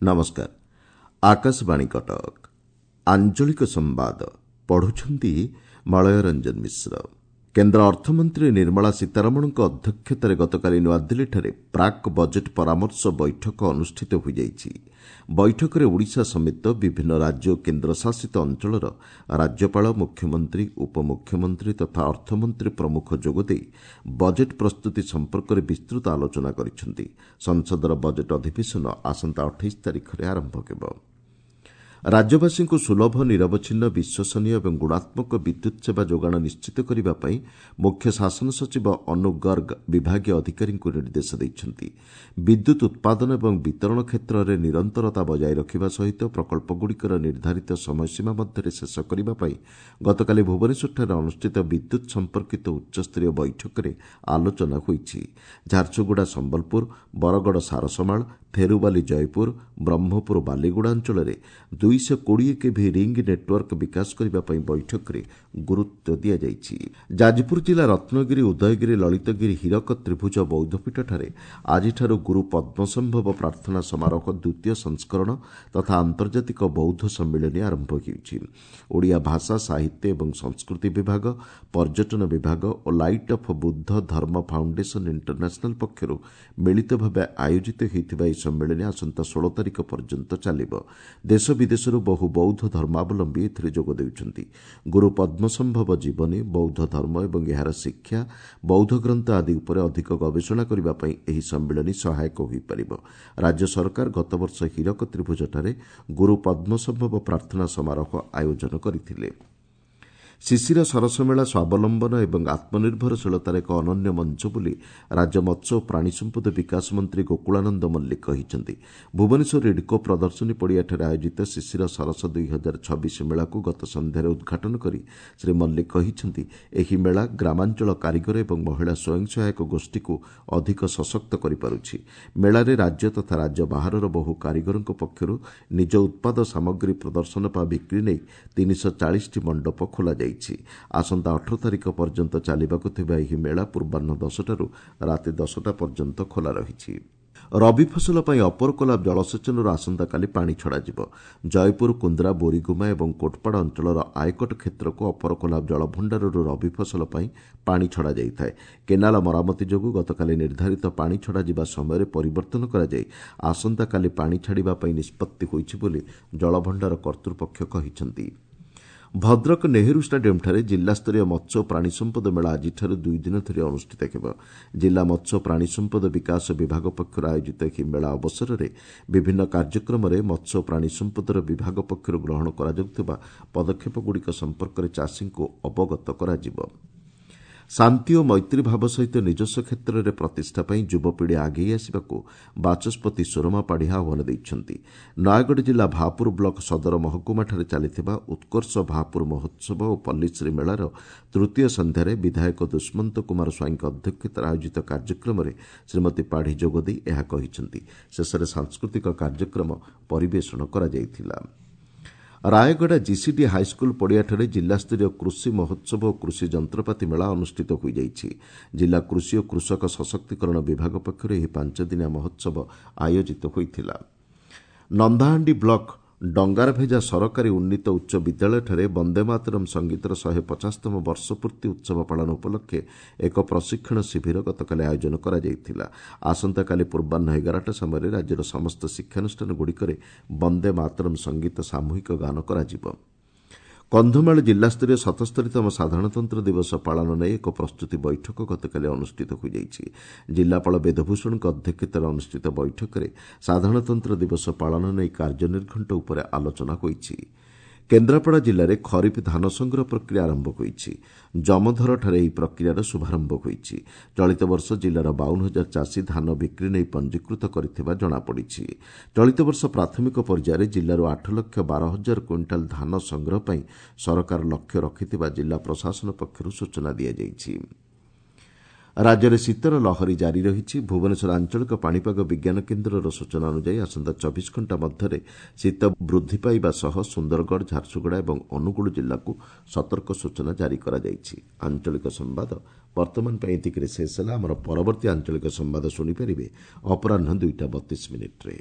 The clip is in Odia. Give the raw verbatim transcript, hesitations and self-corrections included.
ନମସ୍କାର, ଆକାଶବାଣୀ କଟକ। ଆଞ୍ଚଳିକ ସମ୍ବାଦ ପଢୁଛନ୍ତି ମଳୟ ରଞ୍ଜନ ମିଶ୍ର। କେନ୍ଦ୍ର ଅର୍ଥମନ୍ତ୍ରୀ ନିର୍ମଳା ସୀତାରମଣଙ୍କ ଅଧ୍ୟକ୍ଷତାରେ ଗତକାଲି ନୂଆଦିଲ୍ଲୀଠାରେ ପ୍ରାକ୍ ବଜେଟ୍ ପରାମର୍ଶ ବୈଠକ ଅନୁଷ୍ଠିତ ହୋଇଯାଇଛି। ବୈଠକରେ ଓଡ଼ିଶା ସମେତ ବିଭିନ୍ନ ରାଜ୍ୟ ଓ କେନ୍ଦ୍ରଶାସିତ ଅଞ୍ଚଳର ରାଜ୍ୟପାଳ, ମୁଖ୍ୟମନ୍ତ୍ରୀ, ଉପମୁଖ୍ୟମନ୍ତ୍ରୀ ତଥା ଅର୍ଥମନ୍ତ୍ରୀ ପ୍ରମୁଖ ଯୋଗଦେଇ ବଜେଟ୍ ପ୍ରସ୍ତୁତି ସମ୍ପର୍କରେ ବିସ୍ତୃତ ଆଲୋଚନା କରିଛନ୍ତି। ସଂସଦର ବଜେଟ୍ ଅଧିବେଶନ ଆସନ୍ତା ଅଠେଇଶ ତାରିଖରେ ଆରମ୍ଭ ହେବ। ରାଜ୍ୟବାସୀଙ୍କୁ ସୁଲଭ, ନିରବଚ୍ଛିନ୍ନ, ବିଶ୍ୱସନୀୟ ଏବଂ ଗୁଣାତ୍ମକ ବିଦ୍ୟୁତ୍ ସେବା ଯୋଗାଣ ନିଶ୍ଚିତ କରିବା ପାଇଁ ମୁଖ୍ୟ ଶାସନ ସଚିବ ଅନୁ ଗର୍ଗ ବିଭାଗୀୟ ଅଧିକାରୀଙ୍କୁ ନିର୍ଦ୍ଦେଶ ଦେଇଛନ୍ତି। ବିଦ୍ୟୁତ୍ ଉତ୍ପାଦନ ଏବଂ ବିତରଣ କ୍ଷେତ୍ରରେ ନିରନ୍ତରତା ବଜାୟ ରଖିବା ସହିତ ପ୍ରକଳ୍ପଗୁଡ଼ିକର ନିର୍ଦ୍ଧାରିତ ସମୟସୀମା ମଧ୍ୟରେ ଶେଷ କରିବା ପାଇଁ ଗତକାଲି ଭୁବନେଶ୍ୱରଠାରେ ଅନୁଷ୍ଠିତ ବିଦ୍ୟୁତ୍ ସମ୍ପର୍କିତ ଉଚ୍ଚସ୍ତରୀୟ ବୈଠକରେ ଆଲୋଚନା ହୋଇଛି। ଝାରସୁଗୁଡ଼ା ସମ୍ବଲପୁର, ବରଗଡ଼ ସାରସମାଳ, ଥେରୁବାଲି ଜୟପୁର, ବ୍ରହ୍ମପୁର ବାଲିଗୁଡ଼ା ଅଞ୍ଚଳରେ ଦୁଇଶହ କୋଡ଼ିଏ କେଭି ରିଙ୍ଗ ନେଟୱାର୍କ ବିକାଶ କରିବା ପାଇଁ ବୈଠକରେ ଗୁରୁତ୍ୱ ଦିଆଯାଇଛି। ଯାଜପୁର ଜିଲ୍ଲା ରତ୍ନଗିରି, ଉଦୟଗିରି, ଲଳିତଗିରି, ହୀରକ ତ୍ରିଭୁଜ ବୌଦ୍ଧପୀଠଠାରେ ଆଜିଠାରୁ ଗୁରୁ ପଦ୍ମସମ୍ଭବ ପ୍ରାର୍ଥନା ସମାରୋହ ଦ୍ୱିତୀୟ ସଂସ୍କରଣ ତଥା ଆନ୍ତର୍ଜାତିକ ବୌଦ୍ଧ ସମ୍ମିଳନୀ ଆରମ୍ଭ ହେଉଛି। ଓଡ଼ିଆ ଭାଷା, ସାହିତ୍ୟ ଏବଂ ସଂସ୍କୃତି ବିଭାଗ, ପର୍ଯ୍ୟଟନ ବିଭାଗ ଓ ଲାଇଟ୍ ଅଫ୍ ବୁଦ୍ଧ ଧର୍ମ ଫାଉଣ୍ଡେସନ ଇଣ୍ଟରନ୍ୟାସନାଲ ପକ୍ଷରୁ ମିଳିତ ଭାବେ ଆୟୋଜିତ ହୋଇଥିବା ଏହି ସମ୍ମିଳନୀ ଆସନ୍ତା ଷୋହଳ ତାରିଖ ପର୍ଯ୍ୟନ୍ତ ଚାଲିବ। ଦେଶ ବିଦେଶରୁ ବହୁ ବୌଦ୍ଧ ଧର୍ମାବଲମ୍ବୀ ଏଥିରେ ଯୋଗ ଦେଉଛନ୍ତି। ଗୁରୁ ପଦ୍ମସମ୍ଭବ ଜୀବନୀ, ବୌଦ୍ଧ ଧର୍ମ ଏବଂ ଏହାର ଶିକ୍ଷା, ବୌଦ୍ଧ ଗ୍ରନ୍ଥ ଆଦି ଉପରେ ଅଧିକ ଗବେଷଣା କରିବା ପାଇଁ ଏହି ସମ୍ମିଳନୀ ସହାୟକ ହୋଇପାରିବ। ରାଜ୍ୟ ସରକାର ଗତବର୍ଷ ହୀରକ ତ୍ରିଭୁଜଠାରେ ଗୁରୁ ପଦ୍ମସମ୍ଭବ ପ୍ରାର୍ଥନା ସମାରୋହ ଆୟୋଜନ କରିଥିଲେ। ଶିଶିର ସରସ ମେଳା ସ୍ୱାବଲମ୍ବନ ଏବଂ ଆତ୍ମନିର୍ଭରଶୀଳତାର ଏକ ଅନନ୍ୟ ମଞ୍ଚ ବୋଲି ରାଜ୍ୟ ମତ୍ସ୍ୟ ଓ ପ୍ରାଣୀ ସମ୍ପଦ ବିକାଶ ମନ୍ତ୍ରୀ ଗୋକୁଳାନନ୍ଦ ମଲ୍ଲିକ କହିଛନ୍ତି। ଭୁବନେଶ୍ୱର ଇଡ୍କୋ ପ୍ରଦର୍ଶନୀ ପଡ଼ିଆଠାରେ ଆୟୋଜିତ ଶିଶିର ସରସ ଦୁଇ ହଜାର ଛବିଶ ମେଳାକୁ ଗତ ସନ୍ଧ୍ୟାରେ ଉଦ୍ଘାଟନ କରି ଶ୍ରୀ ମଲ୍ଲିକ କହିଛନ୍ତି, ଏହି ମେଳା ଗ୍ରାମାଞ୍ଚଳ କାରିଗର ଏବଂ ମହିଳା ସ୍ୱୟଂ ସହାୟକ ଗୋଷ୍ଠୀକୁ ଅଧିକ ସଶକ୍ତ କରିପାରୁଛି। ମେଳାରେ ରାଜ୍ୟ ତଥା ରାଜ୍ୟ ବାହାରର ବହୁ କାରିଗରଙ୍କ ପକ୍ଷରୁ ନିଜ ଉତ୍ପାଦ ସାମଗ୍ରୀ ପ୍ରଦର୍ଶନ ବା ବିକ୍ରି ନେଇ ତିନିଶହ ଚାଳିଶଟି ମଣ୍ଡପ ଖୋଲାଯାଇଛି। ଆସନ୍ତା ଅଠର ତାରିଖ ପର୍ଯ୍ୟନ୍ତ ଚାଲିବାକୁ ଥିବା ଏହି ମେଳା ପୂର୍ବାହ୍ନ ଦଶଟାରୁ ରାତି ଦଶଟା ପର୍ଯ୍ୟନ୍ତ ଖୋଲା ରହିଛି। ରବି ଫସଲ ପାଇଁ ଅପର କୋଲାବ ଜଳସେଚନରୁ ଆସନ୍ତାକାଲି ପାଣି ଛଡ଼ାଯିବ। ଜୟପୁର, କୁନ୍ଦ୍ରା, ବୋରିଗୁମା ଏବଂ କୋଟପାଡ଼ ଅଞ୍ଚଳର ଆୟକଟ କ୍ଷେତ୍ରକୁ ଅପର କୋଲାବ ଜଳଭଣ୍ଡାରରୁ ରବି ଫସଲ ପାଇଁ ପାଣି ଛଡ଼ାଯାଇଥାଏ। କେନାଲ ମରାମତି ଯୋଗୁଁ ଗତକାଲି ନିର୍ଦ୍ଧାରିତ ପାଣି ଛଡ଼ାଯିବା ସମୟରେ ପରିବର୍ତ୍ତନ କରାଯାଇ ଆସନ୍ତାକାଲି ପାଣି ଛାଡ଼ିବା ପାଇଁ ନିଷ୍ପତ୍ତି ହୋଇଛି ବୋଲି ଜଳଭଣ୍ଡାର କର୍ତ୍ତୃପକ୍ଷ କହିଛନ୍ତି। ଭଦ୍ରକ ନେହେରୁ ଷ୍ଟାଡିୟମ୍ଠାରେ ଜିଲ୍ଲାସ୍ତରୀୟ ମତ୍ସ୍ୟ ଓ ପ୍ରାଣୀ ସମ୍ପଦ ମେଳା ଆଜିଠାରୁ ଦୁଇ ଦିନ ଧରି ଅନୁଷ୍ଠିତ ହେବ। ଜିଲ୍ଲା ମତ୍ସ୍ୟ ଓ ପ୍ରାଣୀ ସମ୍ପଦ ବିକାଶ ବିଭାଗ ପକ୍ଷରୁ ଆୟୋଜିତ ଏହି ମେଳା ଅବସରରେ ବିଭିନ୍ନ କାର୍ଯ୍ୟକ୍ରମରେ ମତ୍ସ୍ୟ ଓ ପ୍ରାଣୀ ସମ୍ପଦର ବିଭାଗ ପକ୍ଷରୁ ଗ୍ରହଣ କରାଯାଉଥିବା ପଦକ୍ଷେପଗୁଡ଼ିକ ସମ୍ପର୍କରେ ଚାଷୀଙ୍କୁ ଅବଗତ କରାଯିବ। ଶାନ୍ତି ଓ ମୈତ୍ରୀ ଭାବ ସହିତ ନିଜସ୍ୱ କ୍ଷେତ୍ରରେ ପ୍ରତିଷ୍ଠା ପାଇଁ ଯୁବପିଢ଼ି ଆଗେଇ ଆସିବାକୁ ବାଚସ୍ପତି ସୁରମା ପାଢ଼ୀ ଆହ୍ୱାନ ଦେଇଛନ୍ତି। ନୟାଗଡ଼ ଜିଲ୍ଲା ଭାପୁର ବ୍ଲକ ସଦର ମହକୁମାଠାରେ ଚାଲିଥିବା ଉତ୍କର୍ଷ ଭାପୁର ମହୋତ୍ସବ ଓ ପଲ୍ଲୀଶ୍ରୀ ମେଳାର ତୃତୀୟ ସନ୍ଧ୍ୟାରେ ବିଧାୟକ ଦୁଷ୍ମନ୍ତ କୁମାର ସ୍ୱାଇଁଙ୍କ ଅଧ୍ୟକ୍ଷତାରେ ଆୟୋଜିତ କାର୍ଯ୍ୟକ୍ରମରେ ଶ୍ରୀମତୀ ପାଢ଼ୀ ଯୋଗଦେଇ ଏହା କହିଛନ୍ତି। ଶେଷରେ ସାଂସ୍କୃତିକ କାର୍ଯ୍ୟକ୍ରମ ପରିବେଷଣ କରାଯାଇଥିଲା। ରାୟଗଡ଼ା ଜିସିଡି ହାଇସ୍କୁଲ ପଡ଼ିଆଠାରେ ଜିଲ୍ଲାସ୍ତରୀୟ କୃଷି ମହୋତ୍ସବ ଓ କୃଷି ଯନ୍ତ୍ରପାତି ମେଳା ଅନୁଷ୍ଠିତ ହୋଇଯାଇଛି। ଜିଲ୍ଲା କୃଷି ଓ କୃଷକ ସଶକ୍ତିକରଣ ବିଭାଗ ପକ୍ଷରୁ ଏହି ପାଞ୍ଚଦିନିଆ ମହୋତ୍ସବ ଆୟୋଜିତ ହୋଇଥିଲା। ନନ୍ଦାହାଣ୍ଡି ବ୍ଲକ ଡଙ୍ଗାରଭେଜା ସରକାରୀ ଉନ୍ନୀତ ଉଚ୍ଚ ବିଦ୍ୟାଳୟଠାରେ ବନ୍ଦେ ମାତରମ୍ ସଙ୍ଗୀତର ଶହେ ପଚାଶତମ ବର୍ଷପୂର୍ତ୍ତି ଉତ୍ସବ ପାଳନ ଉପଲକ୍ଷେ ଏକ ପ୍ରଶିକ୍ଷଣ ଶିବିର ଗତକାଲି ଆୟୋଜନ କରାଯାଇଥିଲା। ଆସନ୍ତାକାଲି ପୂର୍ବାହ୍ନ ଏଗାରଟା ସମୟରେ ରାଜ୍ୟର ସମସ୍ତ ଶିକ୍ଷାନୁଷ୍ଠାନଗୁଡ଼ିକରେ ବନ୍ଦେ ମାତରମ୍ ସଙ୍ଗୀତ ସାମୂହିକ ଗାନ କରାଯିବ। କନ୍ଧମାଳ ଜିଲ୍ଲାସ୍ତରୀୟ ସତସ୍ତରୀତମ ସାଧାରଣତନ୍ତ୍ର ଦିବସ ପାଳନ ନେଇ ଏକ ପ୍ରସ୍ତୁତି ବୈଠକ ଗତକାଲି ଅନୁଷ୍ଠିତ ହୋଇଯାଇଛି। ଜିଲ୍ଲାପାଳ ବେଦଭୂଷଣଙ୍କ ଅଧ୍ୟକ୍ଷତାରେ ଅନୁଷ୍ଠିତ ବୈଠକରେ ସାଧାରଣତନ୍ତ୍ର ଦିବସ ପାଳନ ନେଇ କାର୍ଯ୍ୟନିର୍ଘଣ୍ଟ ଉପରେ ଆଲୋଚନା ହୋଇଛି। କେନ୍ଦ୍ରାପଡ଼ା ଜିଲ୍ଲାରେ ଖରିଫ ଧାନ ସଂଗ୍ରହ ପ୍ରକ୍ରିୟା ଆରମ୍ଭ ହୋଇଛି। ଜମଧରଠାରେ ଏହି ପ୍ରକ୍ରିୟାର ଶୁଭାରମ୍ଭ ହୋଇଛି। ଚଳିତ ବର୍ଷ ଜିଲ୍ଲାର ବାଉନ ହଜାର ଚାଷୀ ଧାନ ବିକ୍ରି ନେଇ ପଞ୍ଜୀକୃତ କରିଥିବା ଜଣାପଡ଼ିଛି। ଚଳିତ ବର୍ଷ ପ୍ରାଥମିକ ପର୍ଯ୍ୟାୟରେ ଜିଲ୍ଲାରୁ ଆଠ ଲକ୍ଷ ବାର ହଜାର କୁଇଣ୍ଟାଲ ଧାନ ସଂଗ୍ରହ ପାଇଁ ସରକାର ଲକ୍ଷ୍ୟ ରଖିଥିବା ଜିଲ୍ଲା ପ୍ରଶାସନ ପକ୍ଷରୁ ସୂଚନା ଦିଆଯାଇଛି। ରାଜ୍ୟରେ ଶୀତର ଲହରୀ ଜାରି ରହିଛି। ଭୁବନେଶ୍ୱର ଆଞ୍ଚଳିକ ପାଣିପାଗ ବିଜ୍ଞାନ କେନ୍ଦ୍ରର ସୂଚନା ଅନୁଯାୟୀ ଆସନ୍ତା ଚବିଶ ଘଣ୍ଟା ମଧ୍ୟରେ ଶୀତ ବୃଦ୍ଧି ପାଇବା ସହ ସୁନ୍ଦରଗଡ଼, ଝାରସୁଗୁଡ଼ା ଏବଂ ଅନୁଗୁଳ ଜିଲ୍ଲାକୁ ସତର୍କ ସୂଚନା ଜାରି କରାଯାଇଛି। ଆଞ୍ଚଳିକ ସମ୍ବାଦ ବର୍ତ୍ତମାନ ପାଇଁ ଏତିକିରେ ଶେଷ ହେଲା। ଆମର ପରବର୍ତ୍ତୀ ଆଞ୍ଚଳିକ ସମ୍ବାଦ ଶୁଣିପାରିବେ ଅପରାହ୍ନ ଦୁଇଟା ବତିଶ ମିନିଟ୍ରେ।